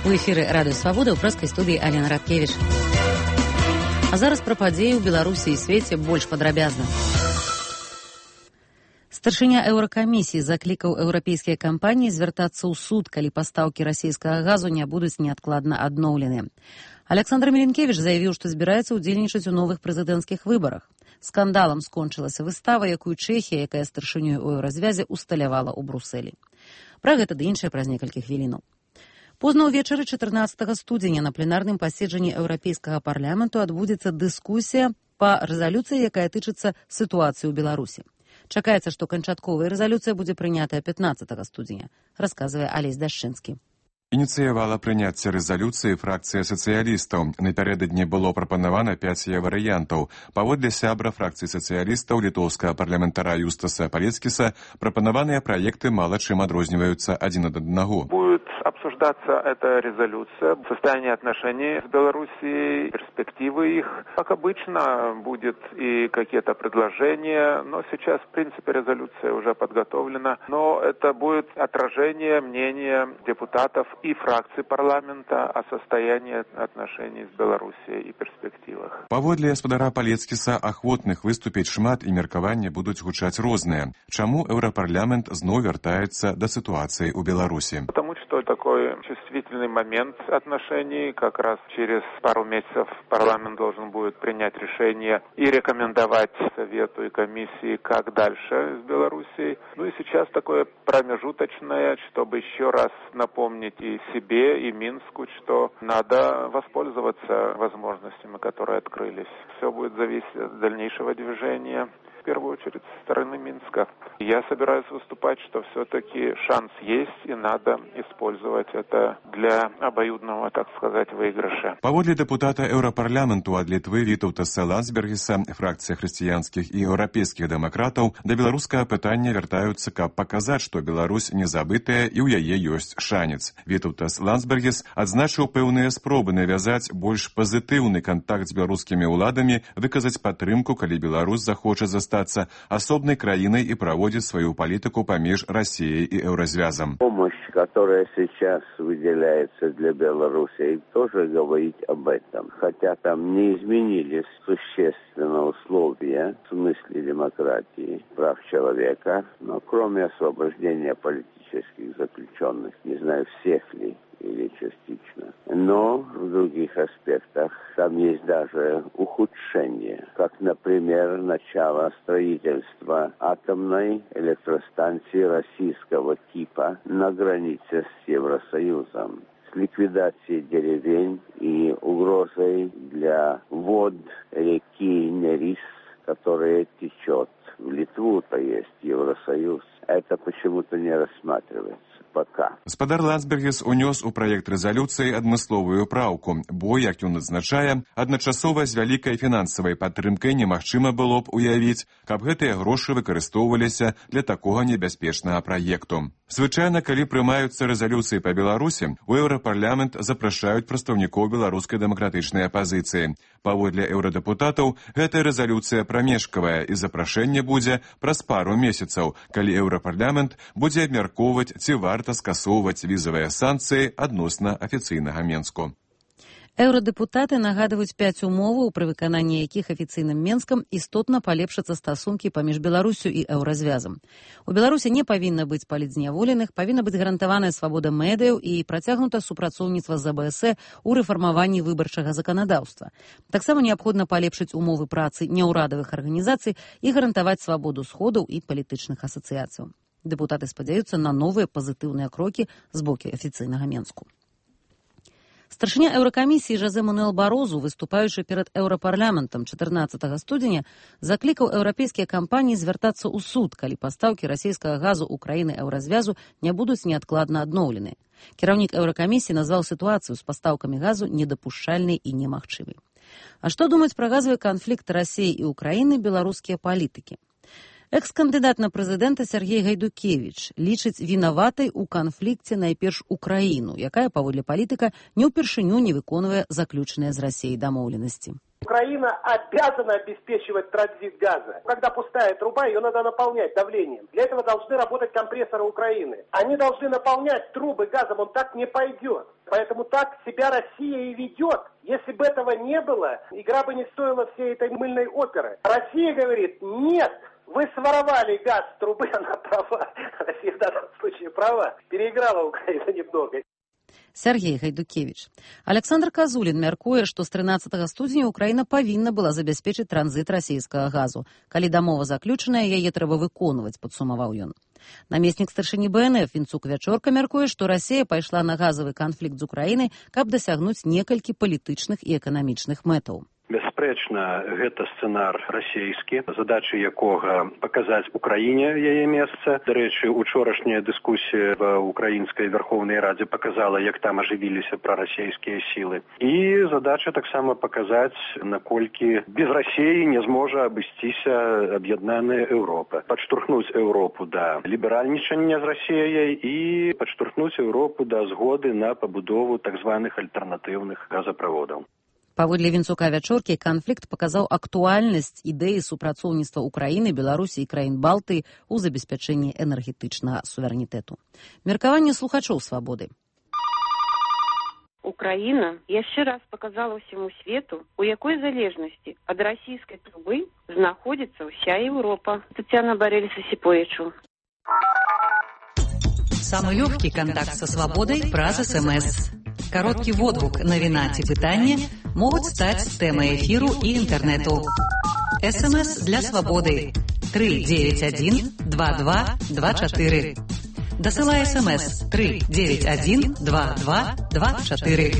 У эфіры радыё Свабода, ў прэскай студыі Алена Радкевіч. А зараз пра падзеі ў Беларусі і свеце больш падрабязна. Старшыня еўракамісіі заклікаў еўрапейскія кампаніі звяртацца ў суд, калі пастаўкі расійскага газу не будуць неадкладна адноўлены. Александр Меленкевіч заявіў, што збіраецца ўдзельнічаць у новых прэзідэнцкіх выбарах. Скандалам скончылася выстава, якую Чэхія, якая старшынёй у еўразвязе, усталявала ў Брусэлі. Пра гэта ды іншае праз некалькі хвілінаў. Позна ўвечары 14 студзеня на пленарным паседжанні Еўрапейскага парламенту адбудзецца дыскусія па рэзалюцыі, якая тычыцца сітуацыі ў Беларусі. Чакаецца, што канчатковая рэзалюцыя будзе прынятая 15 студзеня, расказвае Алесь Дашчынскі. Ініцыявала прыняцце рэзалюцыі фракцыя сацыялістаў. Напярэдадні было прапанавана 5 варыянтаў. Паводле сябра фракцыі сацыялістаў літоўскага парламентара Юстаса Палецкіса прапанаваныя праекты мала чым адрозніваюцца адзін ад аднаго. Будет обсуждаться эта резолюция, состояние отношений с Белоруссией, перспективы их. Как обычно, будет и какие-то предложения, но сейчас, в принципе, резолюция уже подготовлена. Но это будет отражение мнения депутатов и фракций парламента о состоянии отношений с Белоруссией и перспективах. Паводле гаспадара Палецкіса ахвотных выступіць шмат і меркаванні будуць гучаць розныя. Чаму Еўрапарламент зноў вяртаецца да сітуацыі ў Беларусі? Потому что такой чувствительный момент отношений, как раз через пару месяцев парламент должен будет принять решение и рекомендовать Совету и комиссии, как дальше с Белоруссией. Ну и сейчас такое промежуточное, чтобы еще раз напомнить и себе, и Минску, что надо воспользоваться возможностями, которые открылись. Все будет зависеть от дальнейшего движения, в первую очередь со стороны Минска. Я собираюсь выступать, что все-таки шанс есть, и надо использовать это для обоюдного, так сказать, выигрыша. Паводле депутата Еўрапарламенту ад Літвы Вітаўтаса Ландсбергіса, фракцыя хрысціянскіх і еўрапейскіх дэмакратаў да беларускага пытання вяртаюцца, каб паказаць, што Беларусь не забытая і ў яе ёсць шанец. Вітаўтас Ландсбергіс адзначыў пэўныя спробы навязаць больш пазітыўны кантакт з беларускімі ўладамі, выказаць падтрымку, калі Беларусь захоча застацца асобнай краінай і праводзіць свою политику помеж Россией и Евразвязом. Помощь, которая сейчас выделяется для Беларуси, тоже говорит об этом. Хотя там не изменились существенно условия в смысле демократии, прав человека, но кроме освобождения политических заключенных, не знаю, всех ли, или частично. Но в других аспектах там есть даже ухудшение, как, например, начало строительства атомной электростанции российского типа на границе с Евросоюзом, с ликвидацией деревень и угрозой для вод реки Нерис, которая течет в Литву, то есть Евросоюз. Это почему-то не рассматривается. Пока. Гаспадар Ландсбергіс унёс у праект рэзалюцыі адмысловую праўку, бо, як ён адзначае, адначасова з вялікай фінансавай падтрымкай немагчыма было б уявіць, каб гэтыя грошы выкарыстоўваліся для такога небяспечнага праекту. Звычайна, калі прымаюцца рэзалюцыі па Беларусі, у Еўрапарламент запрашаюць прадстаўнікоў беларускай дэмакратычнай апазіцыі. Паводле еўрадэпутатаў, гэтая рэзалюцыя прамежкавая і запрашэнне будзе праз пару месяцаў, калі Еўрапарламент будзе абмяркоўваць, ці варта скасоўваць візавыя санкцыі адносна афіцыйнага Менску. Еўрадэпутаты нагадваюць 5 умоваў, пры выкананні якіх афіцыйным Менскам істотна палепшацца стасункі паміж Беларусю і Еўразвязам. У Беларусі не павінна быць палітзняволеных, павінна быць гарантаваная свабода медыяў і працягнута супрацоўніцтва з АБС у рэфармаванні выбарчага заканадаўства. Таксама неабходна палепшыць умовы працы няўрадавых арганізацый і гарантаваць свабоду сходаў і палітычных асацыяцыяў. Дэпутаты спадзяюцца на новыя пазітыўныя крокі з боку афіцыйнага Менску. Старшыня еўракамісіі Жозе Мануэл Барозу, выступаючы перад Еўрапарламентам 14 студзеня, заклікаў еўрапейскія кампаніі звяртацца ў суд, калі пастаўкі расійскага газу ў краіны еўразвязу не будуць неадкладна адноўлены. Кіраўнік еўракамісіі назваў сітуацыю з пастаўкамі газу недапушчальнай і немагчымай. А што думаюць пра газавы канфлікт Расіі і Украіны беларускія палітыкі? Экс-кандыдат на прэзідэнта Сергей Гайдукевіч лічыць вінаватай у канфлікце найперш Украіну, якая, паводле палітыка, не ўпершыню не выконвае заключаныя з Расіяй дамоўленасці. Украина обязана обеспечивать транзит газа. Когда пустая труба, ее надо наполнять давлением. Для этого должны работать компрессоры Украины. Они должны наполнять трубы газом, он так не пойдет. Поэтому так себя Россия и ведет. Если бы этого не было, игра бы не стоила всей этой мыльной оперы. Россия говорит, нет, вы своровали газ с трубы, она права. Россия в данном случае права. Переиграла Украину немного. Сергей Гайдукевич. Александр Казулін мяркуе, што з 13 студзеня Украіна павінна была забяспечыць транзіт расійскага газу. Калі дамова заключаная, яе трэба выконваць, падсумаваў ён. Намеснік старшыні БНФ Вінцук Вячорка мяркуе, што Расія пайшла на газавы канфлікт з Украінай, каб дасягнуць некалькі палітычных і эканамічных мэтаў. Бясспрэчна, гэта сцэнар расійскі, задача якога паказаць Украіне яе месца. Дарэчы, учорашняя дыскусія в украінскай Верховнай Радзе паказала, як там ажывіліся прарасійскія сілы. І задача таксама паказаць, наколькі без Расіі не зможа абысціся аб'яднаная Еўропа. Падштурхнуць Еўропу да ліберальнічання з Расіяй і падштурхнуць Еўропу да згоды на пабудову так званых альтэрнатыўных газаправодаў. Паводле Вінцука Вячоркі, канфлікт паказаў актуальнасць ідэі супрацоўніцтва Украіны, Беларусі і краін Балтыі ў забеспячэнні энергетычнага суверэнітэту. Меркаванне слухачоў «Свабоды». Украина яшчэ раз показала всему свету, у якой залежнасці ад расійскай трубы знаходзіцца ўся Еўропа. Татьяна Борель-Сосиповичу. Самый легкий контакт со свободой праз СМС. Короткий водгук, навіна ці пытанне могуць стаць тэмай эфіру і інтэрнэту. СМС для свабоды 391 2224. Дасылай СМС 391 2224.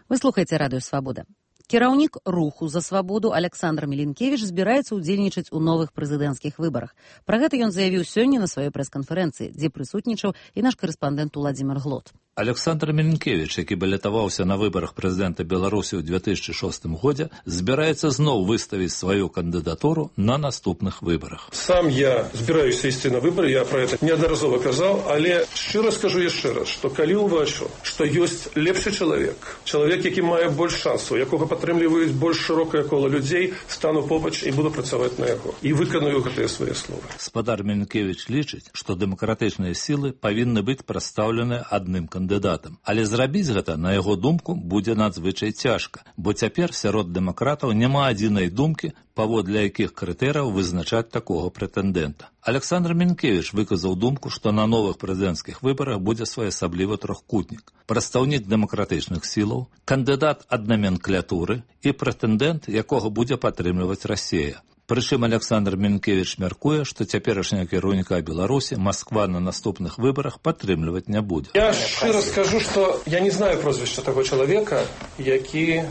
Вы слухаеце радыё «Свабода». Кіраўнік руху за свабоду Александр Мілінкевіч збіраецца ўдзельнічаць у новых прэзідэнцкіх выбарах. Пра гэта ён заявіў сёння на сваёй прэс-канферэнцыі, дзе прысутнічаў і наш карэспандэнт Уладзімир Глот. Александр Мілінкевіч, які балятаваўся на выбарах прэзідэнта Беларусі ў 2006 годзе, збіраецца зноў выставіць сваю кандыдатуру на наступных выбарах. Сам я збіраюся ісці на выбары, я пра гэта неаднаразова казаў, але шчыра скажу яшчэ раз, што калі ўбачу, што ёсць лепшы чалавек, які мае больш шансаў, якога падтрымліваюць больш шырокае кола людзей, стану побач і буду працаваць на яго. І выканую гэтыя свае словы. Спадар Мілінкевіч лічыць, што дэмакратычныя сілы павінны быць прадстаўлены адным кандыдатам. Але зрабіць гэта, на яго думку, будзе надзвычай цяжка, бо цяпер сярод дэмакратаў няма адзінай думкі, паводле якіх крытэрыяў вызначаць такога прэтэндэнта. Александр Мілінкевіч выказаў думку, што на новых прэзідэнцкіх выбарах будзе своеасаблівы трохкутнік. Прадстаўнік дэмакратычных сілаў, кандыдат ад наменклатуры і прэтэндэнт, якога будзе падтрымліваць Расія. Прычым Александр Мілінкевіч мяркуе, што цяперашняга кіраўніка Беларусі Масква на наступных выбарах падтрымліваць не будзе. Я шчыра скажу, што я не знаю прозвішча таго чалавека, які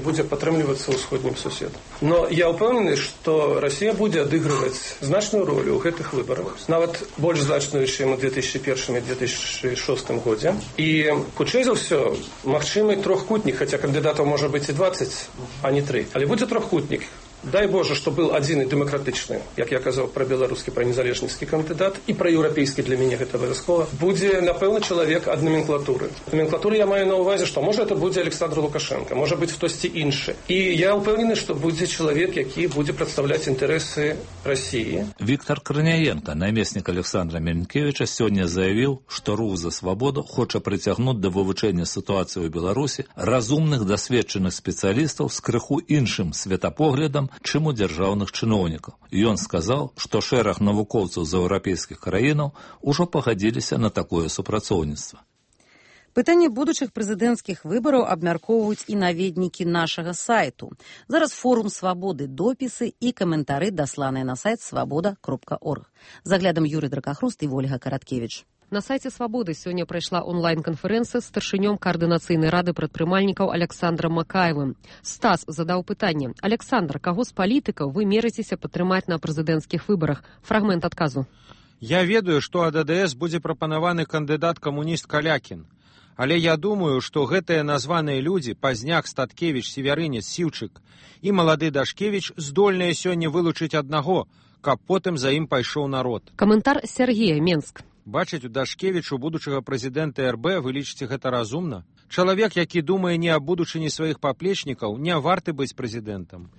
будзе падтрымлівацца ўсходнім суседам. Но я ўпэўнены, што Расія будзе адыгрываць значную ролю ў гэтых выбарах, нават больш значную, чым у 2001 і 2006 годзе. І, хутчэй за ўсё, магчымы трохкутнік, хаця кандыдатаў можа быць і 20, а не 3. Але будзе трохкутнік. Дай Боже, што был адзін і дэмакратычны, як я казаў пра беларускі, пра незалежніцкі кандыдат, і пра еўрапейскі для мяне гэта абавязкова. Будзе, напэўна, чалавек ад наменклатуры. Наменклатуры я маю на ўвазе, што можа это будзе Александр Лукашенко, можа быць хтосьці іншы. І я ўпэўнены, што будзе чалавек, які будзе прадстаўляць інтарэсы Расіі. Віктор Крыняенко, намеснік Александра Мілінкевіча, сёння заявіў, што рух за свабоду хоча прыцягнуць да вывучэння сітуацыі ў Беларусі разумных дасведчаных спецыялістаў з крыху іншым светапоглядам, чым у дзяржаўных чыноўнікаў. Ён сказаў, што шэраг навукоўцаў з еўрапейскіх краінаў ужо пагадзіліся на такое супрацоўніцтва. Пытанне будучых прэзідэнцкіх выбараў абмяркоўваюць і наведнікі нашага сайту. Зараз форум «Свабоды», допісы і каментары дасланыя на сайт свабода.орг. Заглядам Юрый Дракахруст і Вольга Караткевіч. На сайце «Свабоды» сёння прайшла онлайн-канферэнцыя з старшынём Каардынацыйнай рады прадпрымальнікаў Александрам Макаевым. Стас задаў пытанне. Александр, каго з палітыкаў вы мерыцеся падтрымаць на прэзідэнцкіх выбарах? Фрагмент адказу. Я ведаю, што ад АДС будзе прапанаваны кандыдат-камуніст Калякін. Але я думаю, што гэтыя названыя людзі, Пазняк, Статкевіч, Северынец, Сіўчык і малады Дашкевіч здольныя сёння вылучыць аднаго, каб потым за ім пайшоў народ. Каментар Сергея, Менск. Бачыць у Дашкевічу будучага прэзідэнта РБ, вы лічыце гэта разумна? Чалавек, які думае не аб будучыні сваіх паплечнікаў, не варты быць прэзідэнтам.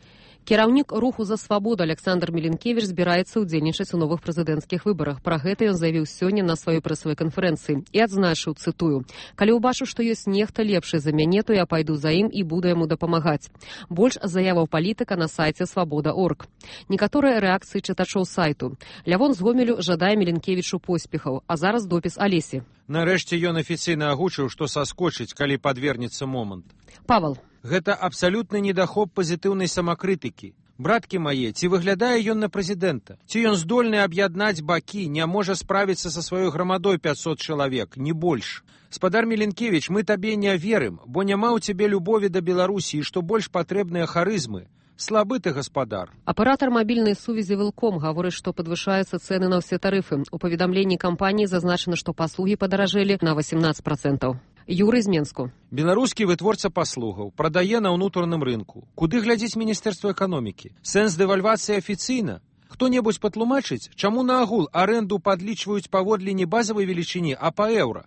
Кіраўнік руху за свабоду Александр Меленкевич збіраецца ўдзельнічаць у новых прэзідэнцкіх выбарах. Пра гэта ён заявіў сёння на сваёй прэсавай канферэнцыі і адзначыў, цытую: «Калі ўбачу, што ёсць нехта лепшы за мяне, то я пайду за ім і буду яму дапамагаць». Больш заяваў палітыка на сайце свабода.орг. Некаторыя рэакцыі чытачоў сайту. Лявон з Гомелю жадае Меленкевічу поспехаў, а зараз допіс Алесі. Нарэшце ён афіцыйна агучыў, што саскочыць, калі падвернецца момант. Павал. Гэта абсалютны недахоп пазітыўнай самакрытыкі. Браткі мае, ці выглядае ён на прэзідэнта? Ці ён здольны аб'яднаць бакі, не можа справіцца са сваёй грамадой 500 чалавек, не больш? Спадар Меленкевіч, мы табе не верым, бо няма ў цябе любові да Беларусі і што больш патрэбныя харызмы. Слабы ты, гаспадар. Аператор мабільнай сувязі Вилком гаворыць, што падвышаюцца цэны на ўсе тарыфы. У паведамленні кампаніі зазначана, што паслугі падаражэлі на 18%. Юрый з Менску. Беларускі вытворца паслугаў прадае на ўнутраным рынку. Куды глядзіць Міністэрства эканомікі? Сэнс дэвальвацыі афіцыйна? Хто-небудзь патлумачыць, чаму наогул арэнду падлічваюць паводле не базавай велічыні, а па еўра?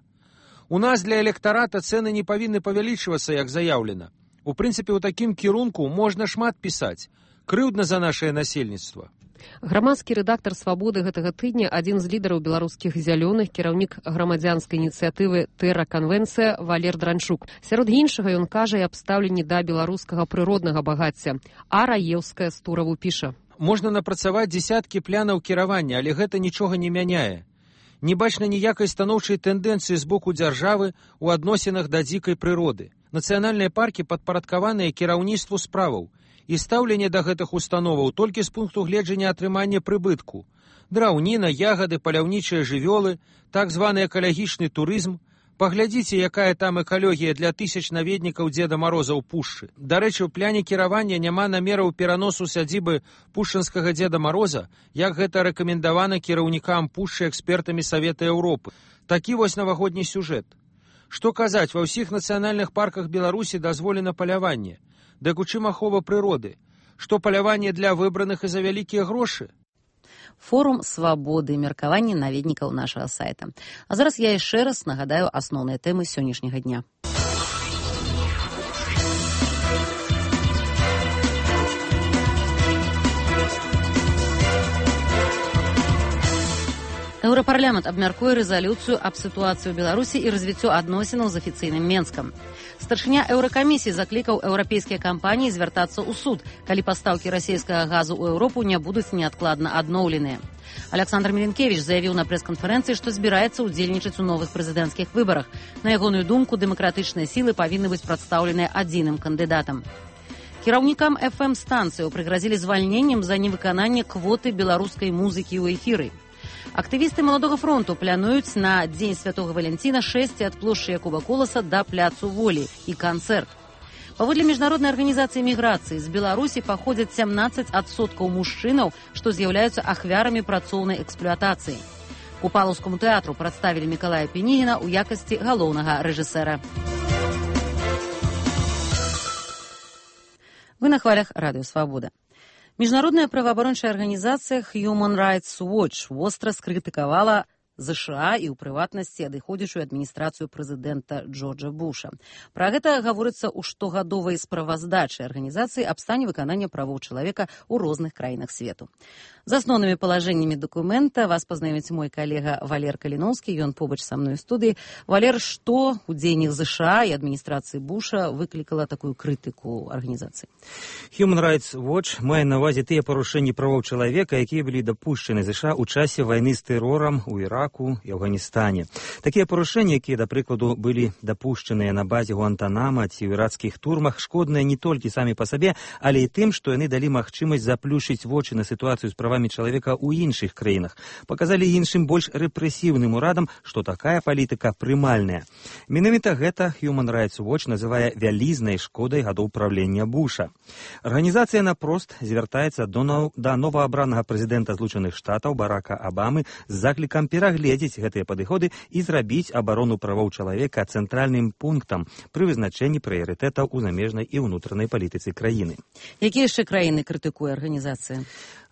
У нас для электарата цэны не павінны павялічвацца, як заяўлена. У прынцыпе, у такім кірунку можна шмат пісаць. Крыўдна за нашае насельніцтва. Грамадскі рэдактар «Свабоды» гэтага тыдня, адзін з лідараў беларускіх зялёных, кіраўнік грамадзянскай ініцыятывы «Тэра-канвенцыя» Валер Дранчук. Сярод іншага ён кажа і аб стаўленні да беларускага прыроднага багацця. А Раеўская з Тураву піша. Можна напрацаваць дзесяткі плянаў кіравання, але гэта нічога не мяняе. Не бачна ніякай станоўчай тэндэнцыі з боку дзяржавы ў адносінах да дзікай прыроды. Нацыянальныя паркі падпарадкаваныя кіраўніцтву справаў. І стаўленне да гэтых установаў толькі з пункту гледжання атрымання прыбытку. Драўніна, ягады, паляўнічыя жывёлы, так званы экалагічны турызм. Паглядзіце, якая там экалогія для тысяч наведнікаў Дзеда Мароза ў пушчы. Дарэчы, у пляне кіравання няма намераў пераносу сядзібы пушчынскага Дзеда Мароза, як гэта рэкамендавана кіраўнікам пушчы экспертамі Савета Еўропы. Такі вось навагодні сюжэт. Што казаць, ва ўсіх нацыянальных парках Беларусі дазволена паляванне. Дык у чым ахова прыроды? Што паляванне для выбраных і за вялікія грошы? Форум свабоды, меркаванне наведнікаў нашага сайта. А зараз я яшчэ раз нагадаю асноўныя тэмы сённяшняга дня. Еўрапарламент абмяркуе рэзалюцыю аб сітуацыі ў Беларусі і развіццё адносінаў з афіцыйным Менскам. Старшыня Еўракамісіі заклікаў еўрапейскія кампаніі звяртацца ў суд, калі пастаўкі расійскага газу ў Еўропу не будуць неадкладна адноўленыя. Александр Меленкевич заявіў на прэс-канферэнцыі, што збіраецца ўдзельнічаць у новых прэзідэнцкіх выбарах. На ягоную думку, дэмакратычныя сілы павінны быць прадстаўленыя адзіным кандыдатам. Кіраўнікам FM-станцыяў прыгразілі звальненнем за невыкананне квоты беларускай музыкі ў эфіры. Актывісты Маладога фронту плануюць на Дзень Святога Валянціна шэсці ад плошчы Якуба Коласа да пляцу Волі і канцэрт. Паводле міжнароднай арганізацыі міграцыі з Беларусі паходзяць 17% мужчынаў, што з'яўляюцца ахвярамі працоўнай эксплуатацыі. Купалаўскаму тэатру прадставілі Мікалая Пенігіна ў якасці галоўнага рэжысэра. Вы на хвалях Радыё Свабода. Міжнародная праваабарончая арганізацыя Human Rights Watch востра скрытыкавала ЗША і ў прыватнасці адыходзячую адміністрацыю прэзідэнта Джорджа Буша. Пра гэта гаворыцца ў штогадовай справаздачы арганізацыі аб стане выканання правоў чалавека ў розных краінах свету. З асноўнымі палажэннямі дакумента вас пазнаёміць мой калега Валер Каліноўскі, ён побач са мной у студыі. Валер, што ў дзеяннях ЗША і адміністрацыі Буша выклікала такую крытыку арганізацыі? Human Rights Watch мае на ўвазе тыя парушэнні правоў чалавека, якія былі дапушчаны ЗША ў часе вайны з тэрорам у Іраку і Афганістане. Такія парушэнні, якія, да прыкладу, былі дапушчаныя на базе Гуантанама ці ў ірацкіх турмах, шкодныя не толькі самі па сабе, але і тым, што яны далі магчымасць заплюшыць вочы на сітуацыю з правамі чалавека ў іншых краінах. Паказалі іншым больш рэпрэсіўным урадам, што такая палітыка прымальная. Менавіта гэта Human Rights Watch называе вялізнай шкодай гадоў правлення Буша. Арганізацыя напрост звяртаецца да новаабранага прэзідэнта Злучаных Штатаў Барака Абамы з заклікам перагледзець гэтыя падыходы і зрабіць абарону правоў чалавека цэнтральным пунктам пры вызначэнні прыярытэтаў у замежнай і ўнутранай палітыцы краіны. Якія яшчэ краіны крытыкуе арганізацыя?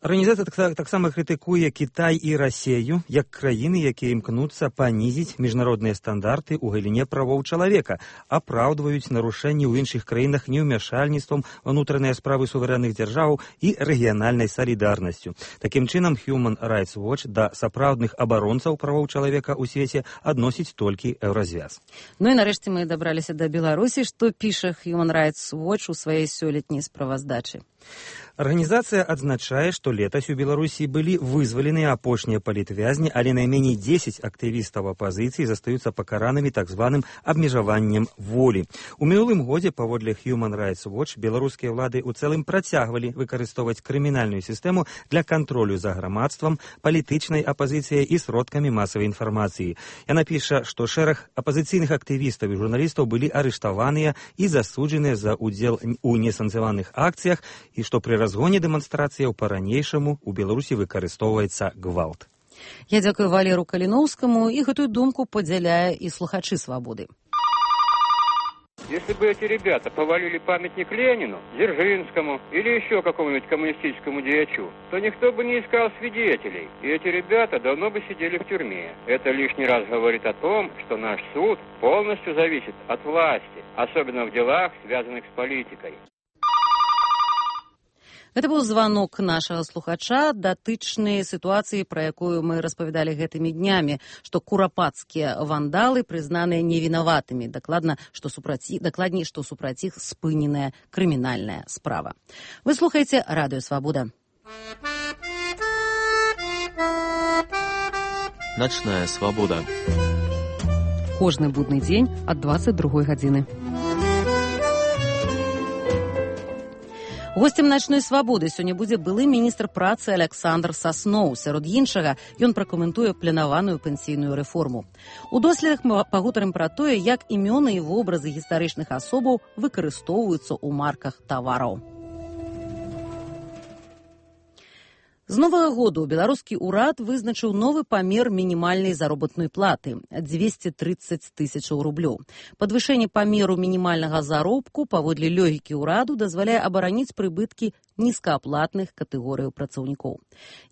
Арганізацыя таксама крытыкуе Кітай і Расею як краіны, якія імкнуцца панізіць міжнародныя стандарты ў галіне правоў чалавека, апраўдваюць нарушэнні ў іншых краінах неўмяшальніцтвам унутраныя справы суверэнных дзяржаў і рэгіянальнай салідарнасцю. Такім чынам, Human Rights Watch да сапраўдных абаронцаў правоў чалавека ў свеце адносіць толькі Еўразвяз. Ну і нарэшце мы дабраліся да Беларусі, што піша Human Rights Watch у сваёй сёлетняй справаздачы. Арганізацыя адзначае, што летась у Беларусі былі вызваленыя апошнія палітвязні, але найменей 10 актывістаў апазіцыі застаюцца пакаранымі так званым абмежаваннем волі. У мінулым годзе, паводле Human Rights Watch, беларускія ўлады ў цэлым працягвалі выкарыстоўваць крымінальную сістэму для кантролю за грамадствам, палітычнай апазіцыяй і сродкамі масавай інфармацыі. Яна піша, што шэраг апазіцыйных актывістаў і журналістаў былі арыштаваныя і засуджаныя за ўдзел у несанкцыянаваных акцыях, і што пры разгоне дэманстрацыяў па-ранейшаму у Беларусі выкарыстоўваецца гвалт. Я дзякую Валеру Каліноўскаму, і гэтую думку падзяляе і слухачы «Свабоды». Если бы эти ребята повалили памятник Ленину, Дзержинскому или еще какому-нибудь коммунистическому деячу, то никто бы не искал свидетелей, и эти ребята давно бы сидели в тюрьме. Это лишний раз говорит о том, что наш суд полностью зависит от власти, особенно в делах, связанных с политикой. Гэта быў званок нашага слухача датычнай сітуацыі, пра якую мы распавядалі гэтымі днямі, што курапацкія вандалы прызнаныя невінаватымі, дакладней, што супраць іх спыненая крымінальная справа. Вы слухаеце Радыё Свабода. Начная свабода. Кожны будны дзень ад 22 гадзіны. Гостем начной свабоды сёння будзе былы міністр працы Александр Сасноў. Сярод іншага ён пракаментуе планаваную пенсійную рэформу. У доследах мы пагутарым пра тое, як імёны і вобразы гістарычных асобаў выкарыстоўваюцца ў марках тавараў. З новага году беларускі ўрад вызначыў новы памер мінімальнай заробатнай платы – 230 тысячаў рублёў. Падвышэнне памеру мінімальнага заробку паводле логікі ўраду дазваляе абараніць прыбыткі нізкааплатных катэгорыяў працаўнікоў.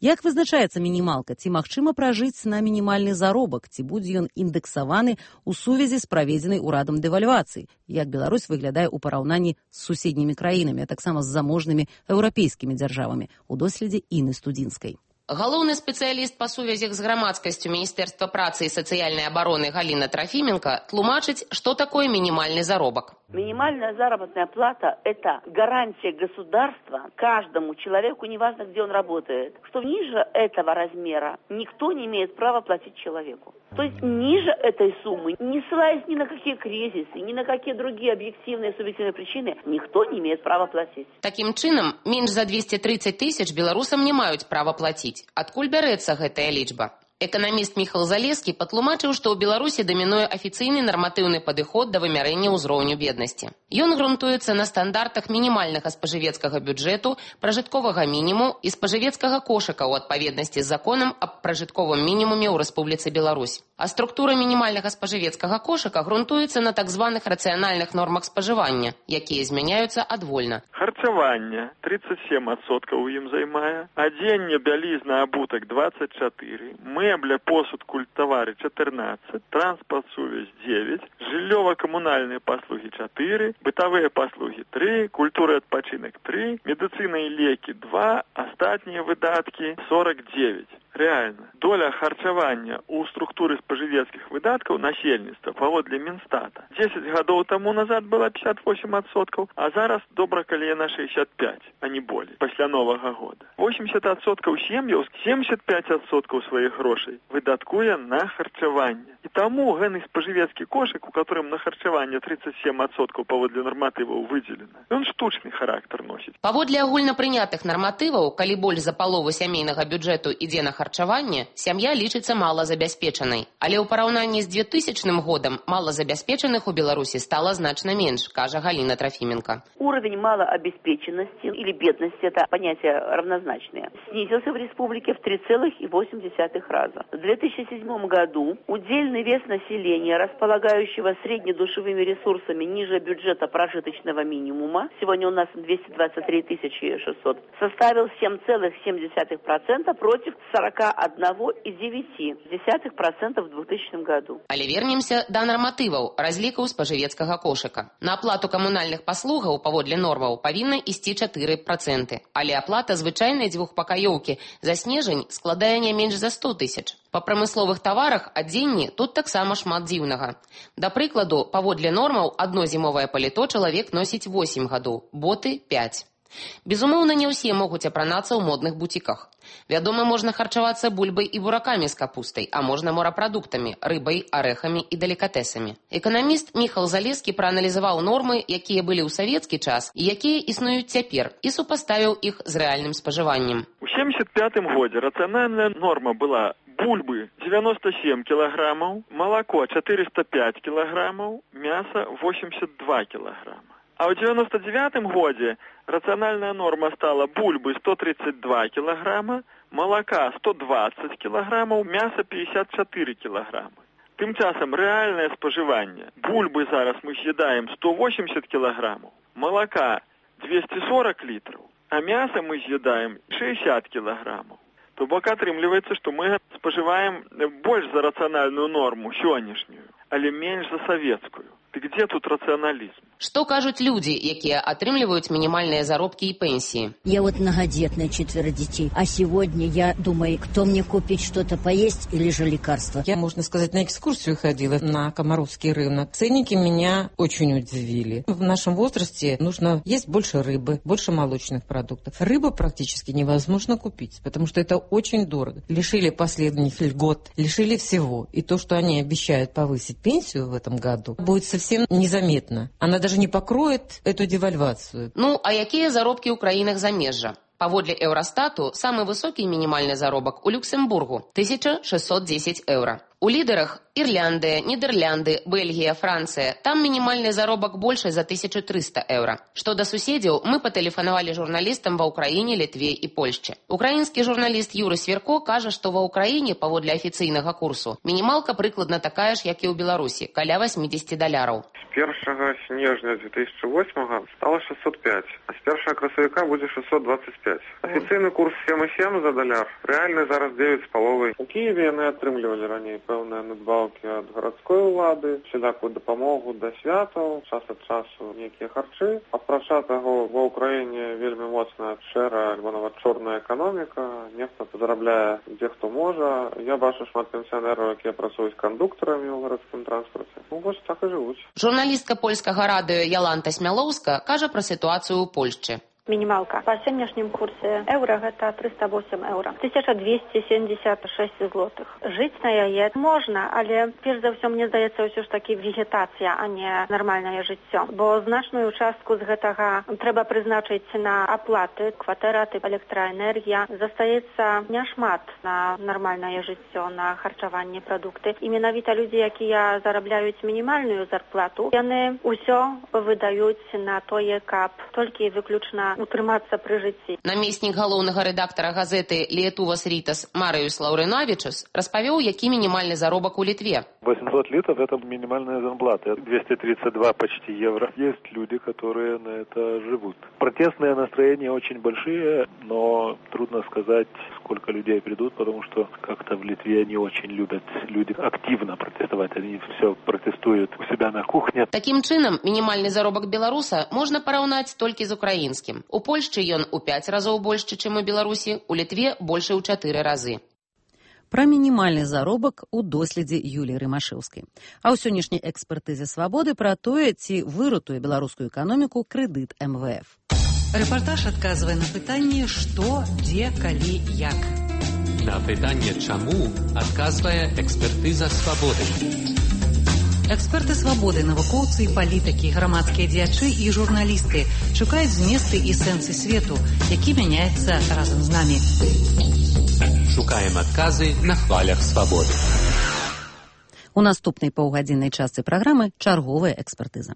Як вызначаецца мінімалка? Ці магчыма пражыць на мінімальны заробак? Ці будзе ён індэксаваны ў сувязі з праведзенай урадам дэвальвацыі? Як Беларусь выглядае ў параўнанні з суседнімі краінамі, а таксама з заможнымі еўрапейскімі дзяржавамі? У доследзе Інны Студзінскай. Галоўны спецыяліст па сувязях з грамадскасцю Міністэрства працы і сацыяльнай абароны Галіна Трафіменко тлумачыць, што такое мінімальны заробак. Минимальная заработная плата – это гарантия государства каждому человеку, неважно, где он работает, что ниже этого размера никто не имеет права платить человеку. То есть ниже этой суммы, не ссылаясь ни на какие кризисы, ни на какие другие объективные субъективные причины, никто не имеет права платить. Таким чынам, менш за 230 тысяч беларусам не маюць права плаціць. Адкуль бярэцца гэтая лічба? Эканаміст Міхал Залескі патлумачыў, што ў Беларусі дамінуе афіцыйны нарматыўны падыход да вымярэння ўзроўню беднасці. Ён грунтуецца на стандартах мінімальнага спажывецкага бюджэту, пражытковага мінімуму і спажывецкага кошыка ў адпаведнасці з законам аб пражытковым мінімуме ў Рэспубліцы Беларусь. А структура мінімальнага спажывецкага кошыка грунтуецца на так званых рацыянальных нормах спажывання, якія змяняюцца адвольна. Харчаванне 37% у ім займае, адзенне, бялізна, абутак 24%, мэбля, посуд, культавары 14%, транспорт, сувязь 9%, жыллёва-камунальныя паслугі 4%, бытавыя паслугі 3%, культура і адпачынак 3%, медыцына і лекі 2%, астатнія выдаткі 49%. Реально, доля харчавання у структуры спажывецкіх выдаткаў насельніцтва паводле Мінстата 10 гадоў таму назад была 58%, а зараз добра калі яна 65%, а не болей, пасля Новага года. 80% сем'яў, 75% сваіх грошай выдаткуе на харчаванне. І таму гэны спажывецкі кошык, у которым на харчаванне 37% паводле нарматываў выдзелена, ён штучны характар носіць. Паводле агульнапрынятых нарматываў, калі больш за палову сямейнага бюджэту ідзе на харчаванне, харчавання, сям'я лічыцца малазабяспечанай. Але ў параўнанні з 2000 годам малазабяспечаных у Беларусі стала значна менш, кажа Галина Трофименко. Уровень малообеспеченности или бедности, это понятия равнозначные, снизился в республике в 3,8 раза. В 2007 году удельный вес населения, располагающего среднедушевыми ресурсами ниже бюджета прожиточного минимума, сегодня у нас 223 600, составил 7,7% против 41,9% в 2000 году. Але вернемся да нарматываў разлікаў спажывецкага кошыка. На аплату камунальных паслугаў паводле нормаў павінна ісці 4%, але аплата звычайнай дзвюхпакаёўкі за снежань складае не менш за 100 тысяч. Па прамысловых таварах адзенні тут таксама шмат дзіўнага. Да прыкладу, паводле нормаў адно зімовае паліто чалавек носіць 8 гадоў, боты 5. Безумоўна, не ўсе могуць апранацца ў модных бутіках. Вядома, можна харчавацца бульбай і буракамі з капустай, а можна морапрадуктамі, рыбай, арэхамі і делікатэсамі. Эканаміст Міхал Залескі прааналізаваў нормы, якія былі ў савецкі час і якія існуюць цяпер, і супаставіў іх з рэальным спажываннем. У 1975 годзе рацыянальная норма была бульбы 97 кілаграмаў, малако 405 кілаграмаў, мяса 82 кілаграма. А ў 99 годзе рацыянальная норма стала бульбы 132 кілаграма, малака 120 кілаграмаў, мяса 54 кілаграмы. Тым часам рэальнае спажыванне. Бульбы зараз мы з'едаем 180 кілаграмаў, малака 240 літраў, а мяса мы з'едаем 60 кілаграмаў. То бок атрымліваецца, што мы спажываем больш за рацыянальную норму сённяшнюю, але менш за савецкую. Ты где тут рационализм? Что кажут люди, якія атрымліваюць минимальные заробки и пенсии? Я вот многодетная, 4 детей. А сегодня я думаю, кто мне купить что-то поесть или же лекарства? Я, можно сказать, на экскурсию ходила на Комаровский рынок. Ценники меня очень удивили. В нашем возрасте нужно есть больше рыбы, больше молочных продуктов. Рыбу практически невозможно купить, потому что это очень дорого. Лишили последних льгот, лишили всего. И то, что они обещают повысить пенсию в этом году, будет совсем незаметно. Она даже не покроет эту девальвацию. Ну, а якія заробкі ў краінах замежжа? Паводле Еўрастату, самы высокі мінімальны заробак у Люксембургу – 1610 евро. У лідерах Ірландыя, Нідерлянды, Бельгія, Францыя. Там мінімальны заробак больше за 1300 евро. Што да суседзяў, мы патэлефанавалі журналістам ва Ўкраіне, Літве і Польшчы. Украінскі журналіст Юры Сверко кажа, што ва Ўкраіне, паводле афіцыйнага курсу, мінімалка прыкладна такая ж, як і ў Беларусі, каля $80. З 1 снежня 2008 стало 605, а з 1 красавіка будзе 625. Афіцыйны курс 7,7 за даляр, рэальны зараз 9,5. У Киеве яны атрымлівалі раней пэўныя надбаўкі ад гарадской улады, всялякую дапамогу да святаў, час ад часу нейкія харчы. Апрача таго, ва Ўкраіне вельмі моцная шэрая альбо нават чорная эканоміка, нехта зарабляе дзе хто можа. Я бачу шмат пенсіянераў, якія працуюць кандуктарамі ў гарадскім транспарце. Ну, вось так і жывуць. Журналістка польскага радыё Яланта Смялоўска кажа пра сітуацыю ў Польшчы. Минималка по сегодняшнем курсе евро это 308 евро. 1276 злотых. Жить на яе можно, але перш за ўсё мне здаецца ўсё ж таки вегетацыя, а не нармальнае жыццё. Бо значную частку з гэтага трэба прызначыць на аплаты, кватэра, электраэнергія. Застаецца няшмат на нармальнае жыццё, на харчаванне, прадукты. І менавіта людзі, якія зарабляюць мінімальную зарплату, яны ўсё выдаюць на тое, каб толькі выключна утрымацца пры жыцці. Намеснік галоўнага рэдактара газеты «Лиетувас Ритас» Мариус Лаўрынавічус распавёў, які мінімальны заробак у Литве. 800 литов – это минимальная зарплата. 232 почти евро. Есть люди, которые на это живут. Протестные настроения очень большие, но трудно сказать, сколько людей придут, потому что как-то в Литве не очень любят люди активно протестовать. Они все протестуют у себя на кухне. Таким чынам, мінімальны заробак беларуса можна параўнаць толькі з украінскім. У Польшчы ён у 5 разоў больш, чым у Беларусі, у Літве больш у 4 разы. Пра мінімальны заробак у доследзе Юліі Рымашэўскай. А ў сённяшняй экспертызе «Свабоды» пра тое, ці выратуе беларускую эканоміку крэдыт МВФ. Рэпартаж адказвае на пытанне «Што, дзе, калі, як». На пытанне «Чаму» адказвае экспертыза «Свабоды». Эксперты «Свабоды», навукоўцы і палітыкі, грамадскія дзеячы і журналісты шукаюць зместы і сэнсы свету, які мяняецца разам з намі. Шукаем адказы на хвалях свабоды. У наступнай паўгадзіннай частцы праграмы чарговая экспертыза.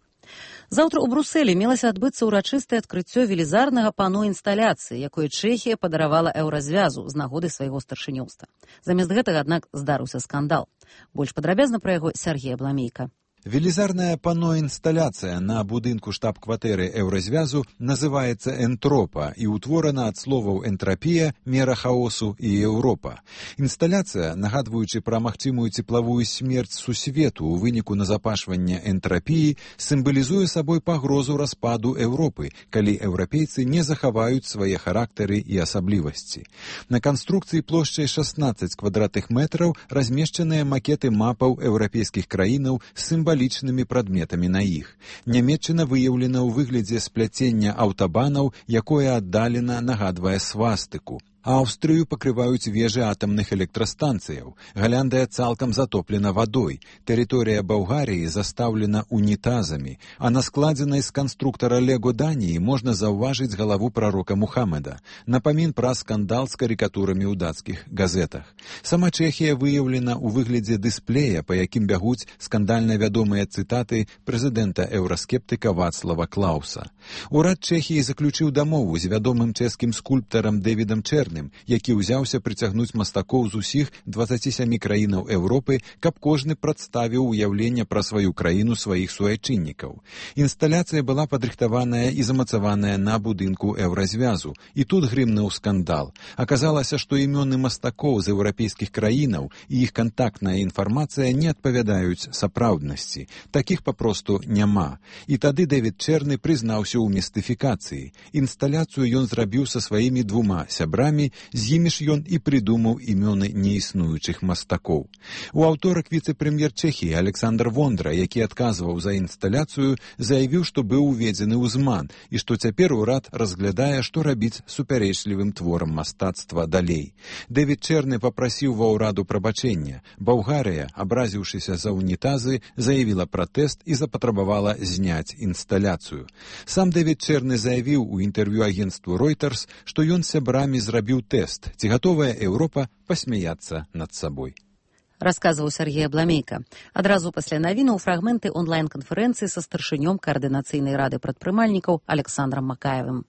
Заўтра ў Брусэлі мелася адбыцца ўрачыстае адкрыццё велізарнага пано інсталяцыі, якое Чэхія падаравала еўразвязу з нагоды свайго старшынёўства. Замест гэтага, аднак, здарыўся скандал. Больш падрабязна пра яго Сергей Абламейка. Велізарная пано-інсталяцыя на будынку штаб-кватэры еўразвязу называецца «Энтропа» і ўтворана ад словаў «энтрапія», «мера хаосу» і «Еўропа». Інсталяцыя, нагадваючы пра магчымую цеплавую смерць сусвету ў выніку назапашвання энтрапіі, сімвалізуе сабой пагрозу распаду Еўропы, калі еўрапейцы не захаваюць свае характары і асаблівасці. На канструкцыі плошчай 16 квадратных метраў размешчаныя макеты мапаў еўрапейскіх краінаў з сімвалічнымі прадметамі на іх. Нямецчына выяўлена ў выглядзе спляцення аўтабанаў, якое аддалена нагадвае свастыку. Аўстрыю пакрываюць вежы атамных электрастанцыяў. Галяндыя цалкам затоплена вадой. Тэрыторыя Балгарыі застаўлена унітазамі. А на складзенай з канструктара Лего Даніі можна заўважыць галаву прарока Мухаммеда. Напамін пра скандал з карыкатурамі ў дацкіх газетах. Сама Чэхія выяўлена ў выглядзе дысплея, па якім бягуць скандальна вядомыя цытаты прэзідэнта еўраскептыка Вацлава Клауса. Урад Чэхіі заключыў дамову з вядомым чэшскім скульптарам Дэвідам Чэрным, які ўзяўся прыцягнуць мастакоў з усіх 27 краінаў Еўропы, каб кожны прадставіў уяўленне пра сваю краіну сваіх суайчыннікаў. Інсталяцыя была падрыхтаваная і замацаваная на будынку еўразвязу. І тут грымнуў скандал. Аказалася, што імёны мастакоў з еўрапейскіх краінаў і іх кантактная інфармацыя не адпавядаюць сапраўднасці. Такіх папросту няма. І тады Дэвід Чэрны прызнаўся ў містыфікацыі. Інсталяцыю ён зрабіў са сваімі двума сябрамі, з імі ж ён і прыдумаў імёны неіснуючых мастакоў. У аўторак віцэ-прэм'ер Чэхіі Александр Вондра, які адказваў за інсталяцыю, заявіў, што быў уведзены ўзман і што цяпер урад разглядае, што рабіць супярэчлівым творам мастацтва далей. Дэвід Чэрны папрасіў ва ўраду прабачэння. Балгарыя, абразіўшыся за унітазы, заявіла пратэст і запатрабавала зняць інсталяцыю. Сам Дэвід Чэрны заявіў у інтэрв'ю агенцтву Reuters, што ён сябрамі зрабіў тест, ці гатовая Еўропа пасмяяцца над сабой. Расказваў Сергей Абламейка. Адразу пасля навінаў фрагменты онлайн-канферэнцыі са старшынём каардынацыйнай рады прадпрымальнікаў Александрам Макаевым.